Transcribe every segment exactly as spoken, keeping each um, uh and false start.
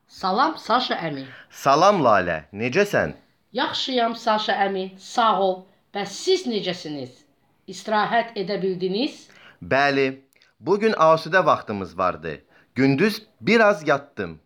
Salam Saşa əmi. Salam Lalə, necəsən? Yaxşıyam Saşa əmi, sağ ol. Bəs siz necəsiniz? İstirahət edə bildiniz? Bəli, bugün asudə vaxtımız vardı. Gündüz biraz yatdım.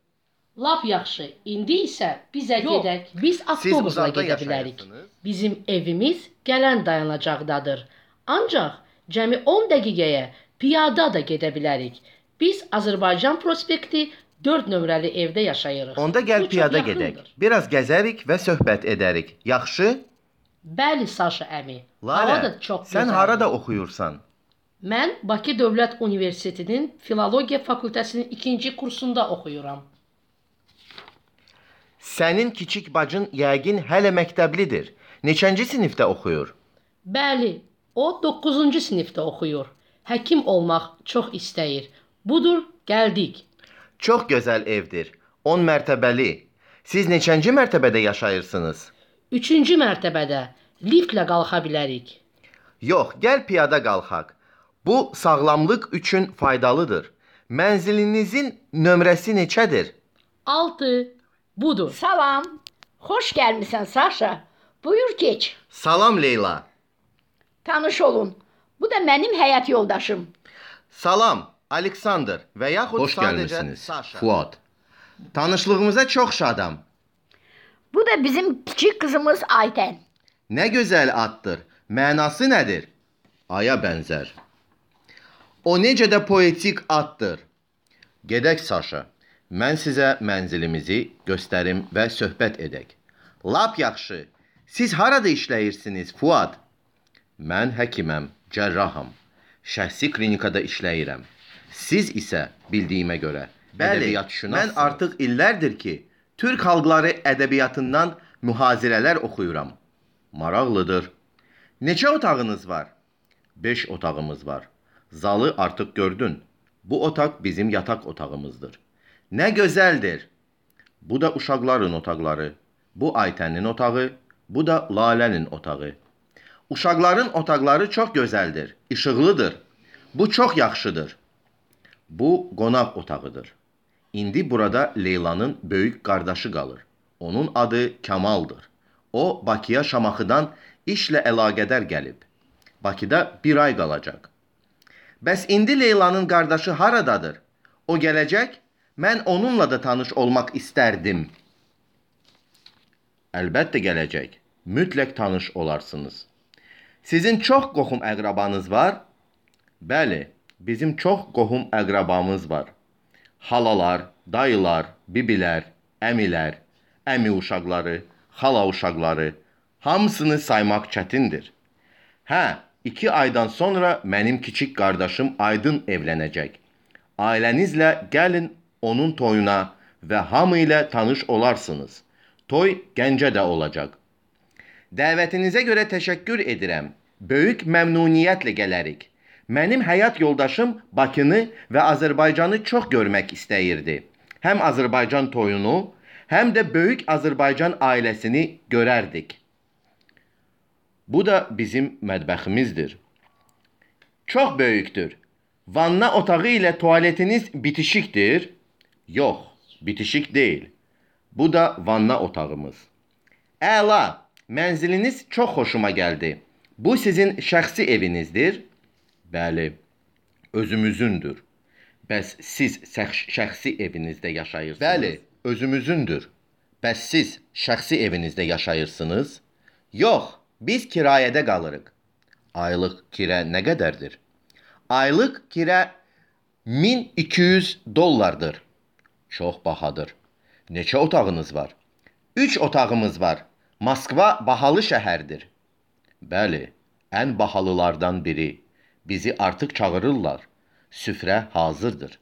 Lap yaxşı. İndi isə bizə gedək. Biz avtobusla uzaqda gedə bilərik. yaşayırsınız? Bizim evimiz gələn dayanacaqdadır. Ancaq cəmi on dəqiqəyə piyada da gedə bilərik. Biz Azərbaycan prospekti dörd nömrəli evdə yaşayırıq. Onda Bu gəl çox piyada yaxındır. gedək. Biraz gəzərik və söhbət edərik. Yaxşı? Bəli Saşa əmi. Hava da Lalə, çox sən gözəldir. harada oxuyursan? Mən Bakı Dövlət Universitetinin Filologiya fakültəsinin ikinci kursunda oxuyuram. Sənin kiçik bacın yəqin hələ məktəblidir. Neçənci sinifdə oxuyur? Bəli, o doqquzuncu sinifdə oxuyur. Həkim olmaq çox istəyir. Budur, gəldik. Çox gözəl evdir. on mərtəbəli. Siz neçənci mərtəbədə yaşayırsınız? Üçüncü mərtəbədə liftlə qalxa bilərik. Yox, gəl piyada qalxaq. Bu sağlamlıq üçün faydalıdır. Mənzilinizin nömrəsi neçədir? Altı. Budur. Salam. Xoş gəlmisən Saşa. Buyur geç. Salam Leyla. Tanış olun. Bu da mənim həyat yoldaşım. Salam Aleksandr və yaxud Xoş sadəcə gəlmisiniz, Saşa. Fuad. Tanışlığımıza çox şadam. Bu da bizim kiçik qızımız Aytən. Nə gözəl addır. Mənası nədir? Aya bənzər. O necə də poetik addır. Gedək Saşa. Mən sizə mənzilimizi göstərim və söhbət edək. Lap yaxşı. Siz harada işləyirsiniz, Fuad? Mən həkiməm, cərraham. Şəxsi klinikada işləyirəm. Siz isə bildiyimə görə Bəli, mən ədəbiyyatşünassınız. artıq illərdir ki, Türk xalqları ədəbiyyatından mühazirələr oxuyuram. Maraqlıdır. Neçə otağınız var? Beş otağımız var. Zalı artıq gördün. Bu otaq bizim yataq otağımızdır. Nə gözəldir. Bu da uşaqların otaqları. Bu Aytənin otağı, bu da Lalənin otağı. Uşaqların otaqları çox gözəldir, işıqlıdır. Bu çox yaxşıdır. Bu qonaq otağıdır. İndi burada Leylanın böyük qardaşı qalır. Onun adı Kamaldır. O Bakıya Şamaxıdan işlə əlaqədar gəlib. Bakıda bir ay qalacaq. Bəs indi Leylanın qardaşı haradadır? O gələcək? Mən onunla da tanış olmaq istərdim. Əlbəttə gələcək. Mütləq tanış olarsınız. Sizin çox qohum əqrabanız var? Bəli, bizim çox qohum əqrabamız var. Halalar, dayılar, bibilər, əmilər, əmi uşaqları, xala uşaqları, hamısını saymaq çətindir. Hə, iki aydan sonra mənim kiçik qardaşım Aydın evlənəcək. Ailənizlə gəlin onun toyuna və hamı ilə tanış olarsınız. Toy Gəncədə olacaq. Dəvətinizə görə təşəkkür edirəm. Böyük məmnuniyyətlə gələrik. Mənim həyat yoldaşım Bakını və Azərbaycanı çox görmək istəyirdi. Həm Azərbaycan toyunu, həm də böyük Azərbaycan ailəsini görərdik. Bu da bizim mətbəximizdir. Çox böyükdür. Vanna otağı ilə tualetiniz bitişikdir. Yox, bitişik deyil. Bu da vanna otağımız. Əla, mənziliniz çox xoşuma gəldi. Bu sizin şəxsi evinizdir. Bəli, özümüzündür. Bəs siz şəx- şəxsi evinizdə yaşayırsınız? Bəli, özümüzündür. Bəs siz şəxsi evinizdə yaşayırsınız? Yox, biz kirayədə qalırıq. Aylıq kirə nə qədərdir? Aylıq kirə min iki yüz dollardır. Çox bahadır. Neçə otağınız var? Üç otağımız var. Moskva bahalı şəhərdir. Bəli, ən bahalılardan biri. Bizi artıq çağırırlar. Süfrə hazırdır.